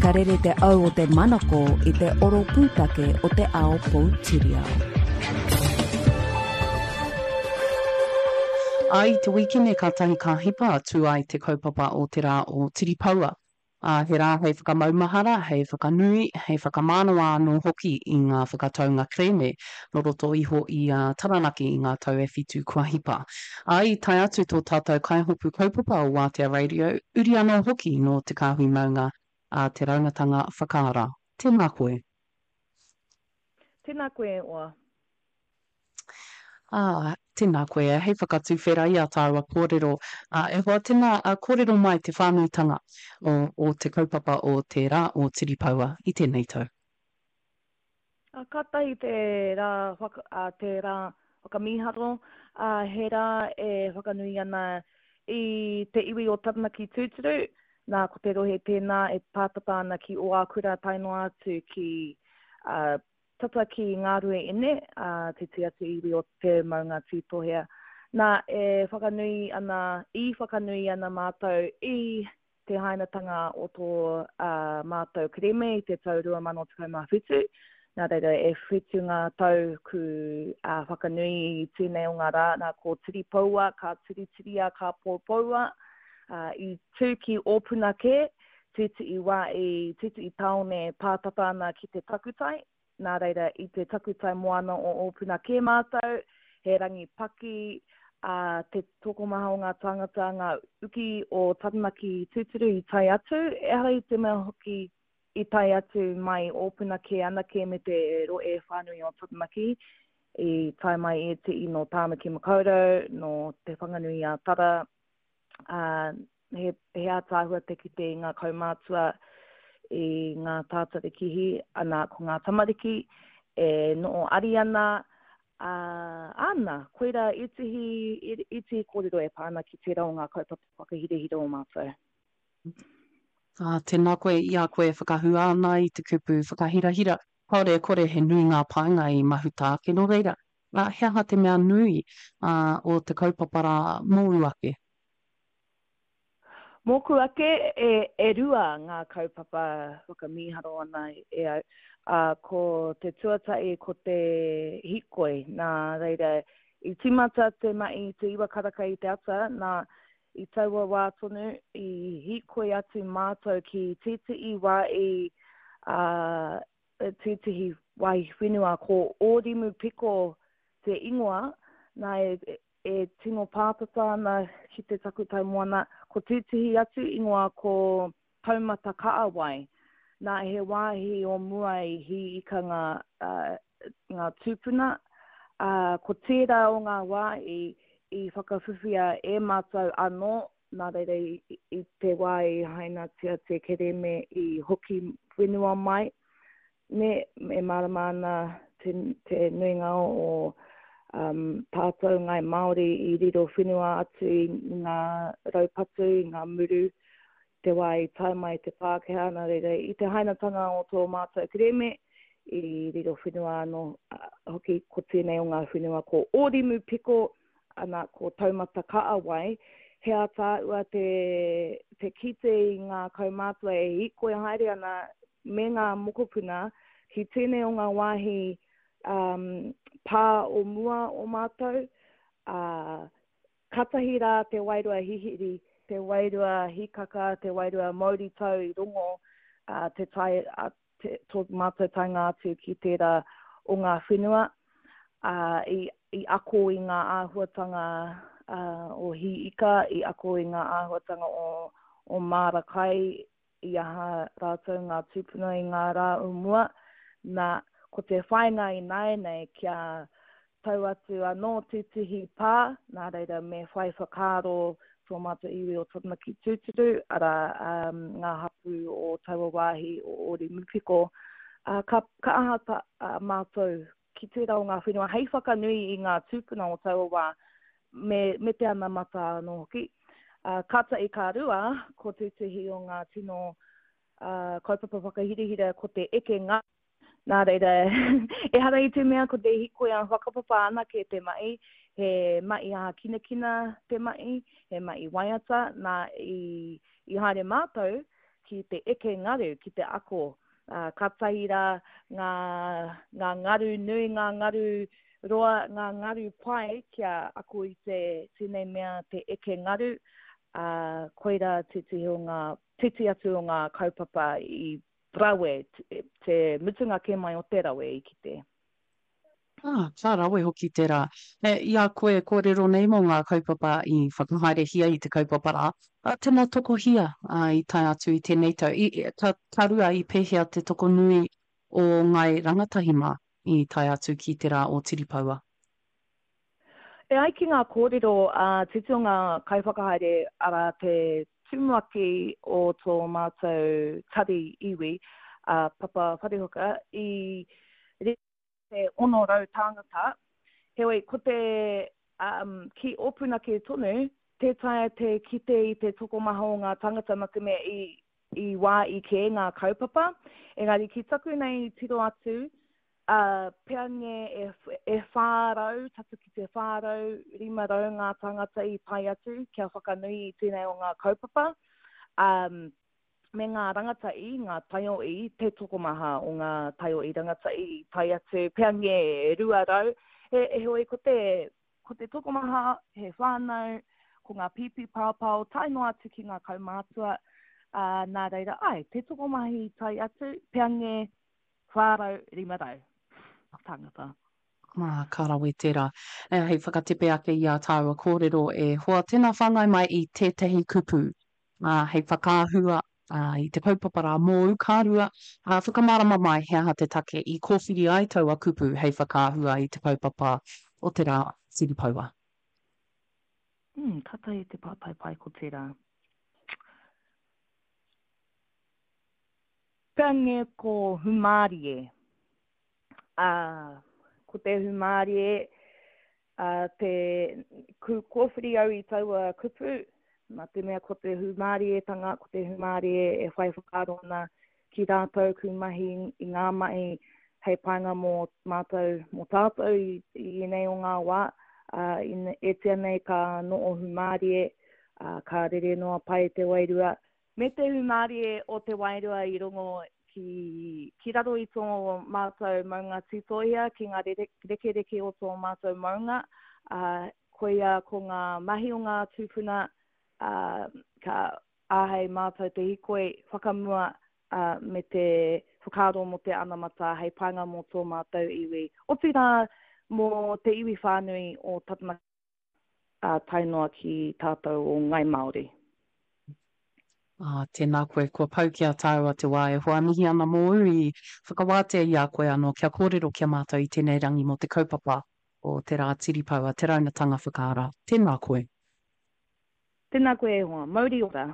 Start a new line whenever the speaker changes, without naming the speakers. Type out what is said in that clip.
Ka rere te au o te manako i te oro pūtake o te ao poutiriao.
Ā, i te wīkene kātahi ka hipa tū ai te kaupapa o te rā o Tiripoua. Ā, he rā hei whakamaumahara, hei whakanui, hei whakamānawa anō hoki i ngā whakataunga kerēme nō roto iho i a Taranaki i ngā tau e whitu kua hipa. Ā, i tae atu tō tātou kaihopu kaupapa o Wātea Radio, uri anō hoki nō Te Kāhui Maunga a Te Raungatanga Whakaara. Tēnā koe.
Tēnā koe e oa.
Ā, tēnā koe, hei whakatuwhera i ā tāua kōrero. Ā, e hoa, tēnā, kōrero mai te whānuitanga o, o te kaupapa o te Rā o Tiripoua i tēnei tau.
Ā, kātahi te rā whaka, ā, te rā whakamīharo, ā, he rā e whakanui ana i te iwi o Taranaki tūturu, nā, ko te rohe tēnā e pātata ana ki Ōākura tae noa atu ki, ā, Tata ki Ngārueine, ā, te tiati iwi o te maunga Tītohea. Nā, e whakanui ana, i whakanui ana mātou i te hainatanga o tō ā, mātou kerēme i te tau 2017. Nā reira, e whitu ngā tau ku ā, whakanui i tēnei o ngā rā, nā, ko Tiripoua, ka tiritiria, ka poupoua, ā, i tū ki Ōpunakē, Tētehi wā i tētehi tāone pātata ana ki te takutai, nā reira i te takutai moana o Ōpunakē mātou, he rangi paki, ā, te tokomaha o ngā tāngata, ngā uki o Taranaki tūturu i tae atu, ehara i te mea hoki i tae atu mai Ōpunakē anake me te rohe whānui o Taranaki, i tae mai ētehi nō Tāmaki Makaurau, nō Te Whanganui-ā-Tara, ā, he, he ātaahua te kite i ngā kaumātua, i ngā tātarikihi, ana, ko ngā tamariki e noho ari ana, ā, āna, koirā ētehi, ētehi kōrero e pā ana ki tērā o ngā kaupapa whakahirahira o mātou.
Ā, tēnā koe i a koe e whakahua ana i te kupu whakahirahira, kāore e kore he nui ngā painga i mahuta ake, nō reira, ā, he aha te mea nui, ā, o te kaupapa rā mōu ake?
Mōku ake, e, e rua ngā kaupapa whakamīharo ana e au. Ā, ko te tuatahi ko te hīkoi, nā reira, i tīmata te mahi i te iwa karaka i te ata, nā, i taua wā tonu, i hīkoi atu mātou ki tētehi wā i, ā, tētehi wāhi whenua ko Ōrimu Piko te ingoa, nā, e, e tino pātata ana ki te takutai moana, ko tētehi atu ingoa ko Taumata Kaawai. Nā, he wāhi o mua i hī ika ngā, ngā tūpuna, ā, ko tērā o ngā wā i, i whakawhiwhia e mātou anō, nā reira i, i te wā i hainatia te kerēme i hoki whenua mai, Nē, e mārama ana te, te nuinga o um, tātou Ngāi Māori i riro whenua atu i ngā raupatu, i ngā muru, te wā i tae mai te Pākehā, nā reira, i te hainatanga o tō mātou kerēme, i riro whenua anō hoki ko tēnei o ngā whenua ko Ōrimu Piko, ana ko Taumata Kaawai, he ātaahua te, te kite i ngā kaumātua e hīkoi haere ana me ngā mokopuna ki tēnei o ngā wāhi um, pā o mua o mātou, ā, katahi rā te wairua hihiri, te wairua hīkaka, te wairua mauritau i rongo uh, te tae, uh, te, tō mātou taenga atu ki tērā o ngā whenua, ā, i, i ako i ngā āhuatanga uh, o hī ika, i ako i ngā āhuatanga o, o māra kai, i aha rātou ngā tūpuna i ngā rā o mua, nā, ko te whāinga ināianei kia tau atu anō tētehi pā, nā reira me whai whakaaro tō mātou iwi o Taranaki tūturu, arā, um, ngā hapū o taua wāhi o Ōrimupiko, uh, ka, ka aha ta, uh, mātou ki tērā o ngā whenua hei whakanui i ngā tūpuna o taua wā, me, me te anamata anō hoki. Uh, kātahi ka rua, ko tētehi o ngā tino uh, kaupapa whakahirahira ko te eke ngā Nā reira, ehara i te mea ko te hikoi ā-whakapapa anake te mahi, he mahi ā-kinakina te mahi, he mahi waiata, nā, i, i haere mātou. ki te eke ngaru, ki te ako. Ā, kātahi rā ngā, ngā ngaru nui, ngā ngaru roa, ngā ngaru pai kia ako i te, tēnei mea te eke ngaru, ā, koirā tētehi o ngā, tētehi atu o ngā kaupapa i rawe, te mutunga kē mai o te rawe i kite.
Ā, ka rawe hoki tērā. E, i a koe e kōrero nei mō ngā kaupapa i whakahaerehia i te kaupapa rā, ā, tēnā tokohia, ā, i tae atu i tēnei tau. I, ka, ka rua i pēhea te tokonui o ngāi rangatahi mā i tae atu ki te rā o Tiripaua?
E ai ki ngā kōrero a tētehi o ngā kaiwhakahaere, arā, te tumuaki o tō mātou tari iwi, a Papa Wharehuka, i te 600 tāngata, heoi ko te um, ki Ōpunake tonu, tē taea te kite i te tokomaha o ngā tāngata nā te mea i, i wā i kē ngā kaupapa. Engari ki taku nei tiro atu, uh, peange e, e 400, tata ki te 400, 500 ngā tāngata i tae atu kia whakanui i tēnei o ngā kaupapa. Um, me ngā rangatahi, ngā taiohi, te tokomaha o ngā taiohi rangatahi i tae atu, peange e 200, he, heoi ko te, ko te tokomaha, he whānau, ko ngā pīpī paopao, tae noa atu ki ngā kaumātua, ā, nā reira, āe, te tokomaha i tae atu, peange 400, 500 tāngata.
Ā, ka rawe tērā. Hei whakatepe ake i ā tāua kōrero e hoa, tēnā whāngai mai i tētahi kupu ā, hei whakaahua, ā, i te kaupapa rā mōu, ka rua, ā, whakamārama mai he aha te take i kōwhiri ai taua kupu hei whakaahua i te kaupapa o te rā Tiripaua.
Mm, kātahi te pātai pai ko tērā. Pea ko Humārie. Ā, ko te humārie, ā, te, ku, kōwhiri au i taua kupu, nā te mea ko te humārietanga, ko te humārie e whai whakaaro ana ki rātou ku mahi i ngā mahi hei painga mō mātou, mō tātou i, i ēnei o ngā wā, ā, in, etia nei ka noho humārie, ā, ka rere noa pai te wairua, Me te hūmārie o te wairua i rongo ki, ki raro i tō mātou maunga Tūtōhia, ki ngā rekereke o tō mātou maunga, ā, koia ko ngā mahi o ngā tūpuna, ā, ka āhei mātou te hikoi whakamua, ā, me te whakaaro mō te anamata hei painga mō tō mātou iwi, otirā mō te iwi whānui o Taranaki. ā, tae noa ki tātou o Ngai
Māori. Ā, tēnā koe, kua pau ki a tāua te wā e hoa mihi ana mōu i whakawātea i a koe anō kia kōrero ki a mātou i tēnei rangi mō te kaupapa o Te Rā Tiripoua, Te Raunatanga Whakaara. Tēnā koe.
Tēnā koe e hoa. Mauri ora.